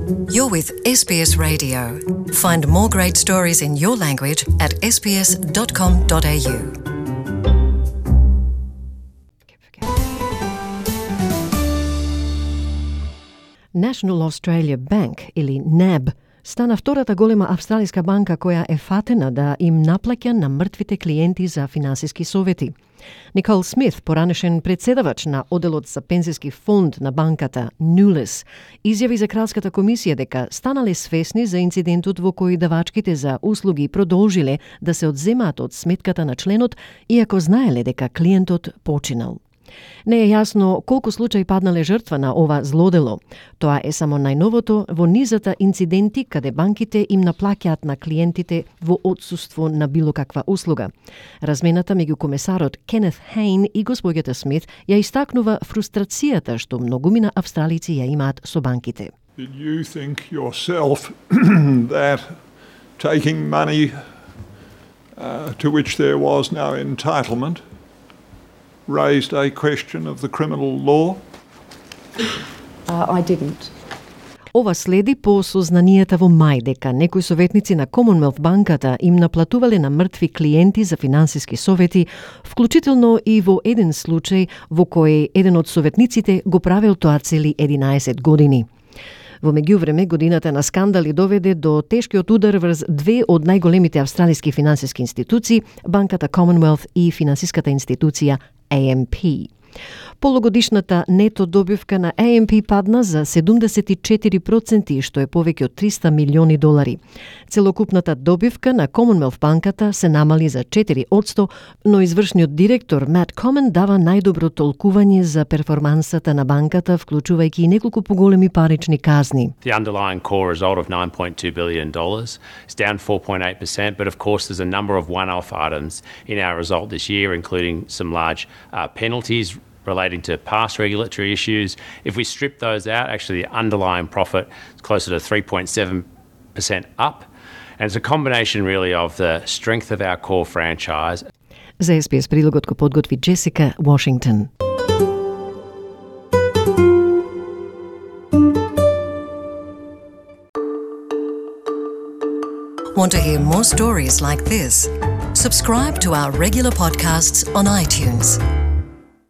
You're with SBS Radio. Find more great stories in your language at sbs.com.au. National Australia Bank, или NAB, стана втората голема австралиска банка која е фатена да им наплаќа на мртвите клиенти за финансиски совети. Никол Смит, поранешен председавач на оделот за пензиски фонд на банката Nulis, изјави за Кралската комисија дека станале свесни за инцидентот во кој давачките за услуги продолжиле да се одземаат од сметката на членот, иако знаеле дека клиентот починал. Не е јасно колку случаи паднале жртва на ова злодело. Тоа е само најновото во низата инциденти каде банките им наплаќаат на клиентите во отсуство на било каква услуга. Размената меѓу комесарот Кенет Хейн и госпоѓата Смит ја истакнува фрустрацијата што многумина австралици ја имаат со банките. Did you think yourself that taking money to which there was no entitlement raised a question of the criminal law? I didn't. Ова следи по сознанијата во мај дека некои советници на Commonwealth банката им наплатувале на мртви клиенти за финансиски совети, вклучително и во еден случај во кој еден од советниците го правел тоа цели 11 години. Во меѓувреме, годината на скандали доведе до тешкиот удар врз две од најголемите австралиски финансиски институции, банката Commonwealth и финансиската институција AMP. Полугодишната нето добивка на AMP падна за 74%, што е повеќе од 300 милиони долари. Целокупната добивка на Commonwealth банката се намали за 4%, но извршниот директор Мат Комен дава најдобро толкување за перформансата на банката, вклучувајќи и неколку поголеми парични казни. The underlying core result of $9.2 billion is down 4.8%, but of course there's a number of one-off items in our result this year, including some large penalties relating to past regulatory issues. If we strip those out, actually the underlying profit is closer to 3.7% up. And it's a combination really of the strength of our core franchise. За SBS прилогот го подготви Джесика Вашингтон. Want to hear more stories like this? Subscribe to our regular podcasts on iTunes.